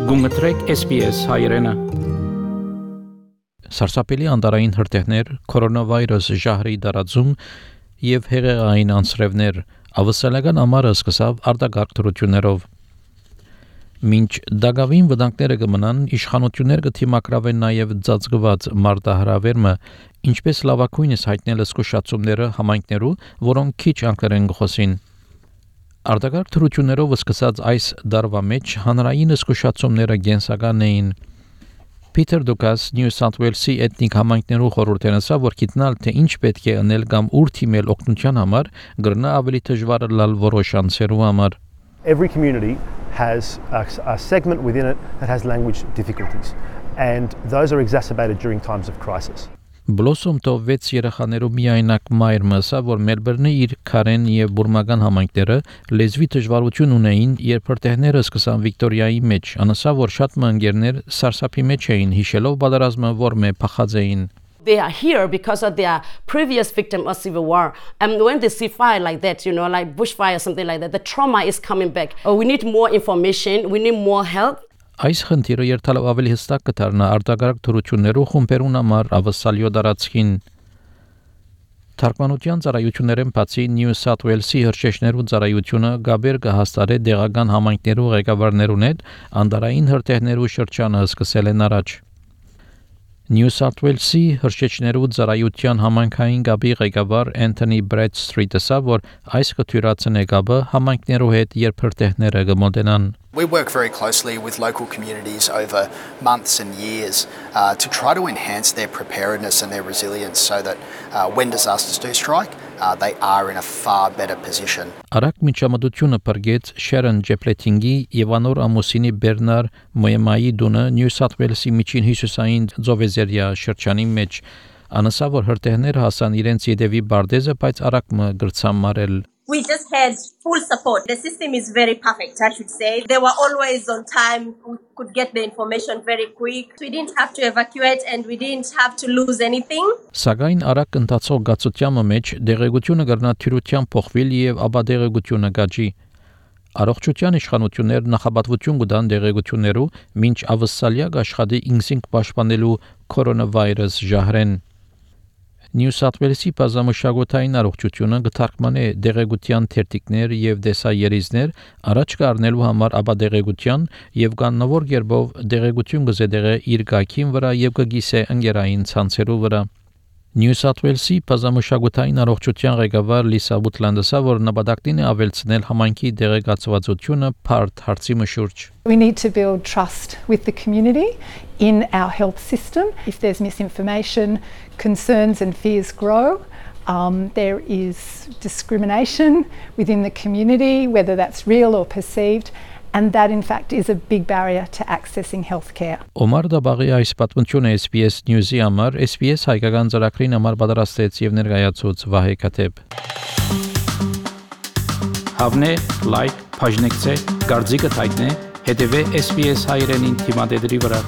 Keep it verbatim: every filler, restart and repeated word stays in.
Գումտրեք S B S հայրենը։ Սարսափելի անտարային հրթիռներ, կորոնավիրուս ժահրի դարածում եւ հեղեղային անձրևներ ավսալական ամառը սկսավ արտագաղթ դրություններով։ Մինչ դագավին վտանգները կմնան, իշխանություններ կթիմակրավեն նաև ծածկված մարտահրավերումը, ինչպես լավակույնս հայտնել զսկուշացումները համայնքներու, որոնք քիչ անգլերեն գխոսին։ Արտագաղթ դրություններով սկսած այս դարվա մեջ հանրային զսկուշացումները գենսական էին։ Peter Dukas New South Wales-ի էթնիկ համայնքներու խորհուրդն ասա, որ գիտնալ թե ինչ պետք է անել կամ ուր թիմել օգնության համար, գրնա ավելի դժվար լալ որոշ անձերու համար։ Every community has a, a segment within it that has language difficulties, and those are exacerbated during times of crisis. Blossom to վեց երեխաներու միայնակ մայր մսա, որ Մելբուրնի իր քարեն եւ բուրմական համայնքները լեզվի դժվարություն ունեին, երբ հրթիռները սկսան Վիկտորիայի մեջ, անասա, որ շատ մանգերներ սարսափի մեջ էին, հիշելով պատերազմը, որ մե փախած էին։ They are here because of their previous victim of civil war. And when they see fire like that, you know, like bushfire or something like that, the trauma is coming back. Oh, we need more information, we need more help. Այս խնդիրը երթալով ավելի հստակ կդառնա արտագաղթ դրություններու խումբերուն համար ավսալյո դարածքին։ Թարգմանության ծառայություններեն բացի New South Wales-ի հրշեջներու ծառայությունը գաբեր կհաստատե դեղական համայնքներու ղեկավարներուն հետ անդարային հրթիռներու շրջանը սկսել են առաջ։ New South Wales-ի հրշեջներու ծառայության համայնքային գաբի ղեկավար Anthony Bradstreet-ը ասա, որ այս կթյուրացնե գաբը համայնքներու հետ երբ հրթիռները կմոտենան։ We work very closely with local communities over months and years uh, to try to enhance their preparedness and their resilience so that uh, when disasters do strike, uh, they are in a far better position. Արագ միջամտությունը բրգեց Sharon Jepletingi եւ անոր ամուսինի Բերնար Մոյեմայի դունը New South Wales-ի միջին հյուսիսային Ձովեզերիա շրջանի մեջ անասա, որ հրթիռները հասան իրենց յետևի բարդեզը, բայց արագ մը գրցան մարել։ We just had full support. The system is very perfect, I should say. They were always on time. We could get the information very quick. We didn't have to evacuate and we didn't have to lose anything. Սակայն արագ ընթացող գացության մեջ դեղեցությունը կրնա թյուրության փոխվել եւ աբադեղեցությունը գաճի։ Առողջության իշխանություններ նախաբատվություն կտան դեղեցություններու, մինչ ավսալյա աշխատի ինքնին պաշտպանելու կորոնավիրուս ժահրեն։ New South Wales-ի բազմամշակութային առողջությունը կթարգմանե դեղեցության թերթիկներ եւ դեսայերիզներ առաջ կառնելու համար աբադեղեցության եւ կանոնավոր երբով դեղեցություն կզեդեղե իր գայքին վրա եւ կգիսե ընկերային ցանցերու վրա։ New South Wales-ի բազմամշակութային առողջության ղեկավար Լիսա Բուտլանդը ասա, որ նպատակն է ավելցնել համայնքի դեղեցվածությունը բարդ հարցի մշուրջ։ We need to build trust with the community in our health system. If there's misinformation, concerns and fears grow. Um, there is discrimination within the community, whether that's real or perceived, and that in fact is a big barrier to accessing healthcare. Օմար Դաբաղի այս պատմությունը S B S News-ի համար S B S հայկական ծրագրին համար պատրաստեց եւ ներկայացուց Վահե Քաթեփ։ Հավնե, լայք, բաժնեկցե, դարձիկը թայտնե, հետեւե S B S հայրենին թիմադեդրի վրա։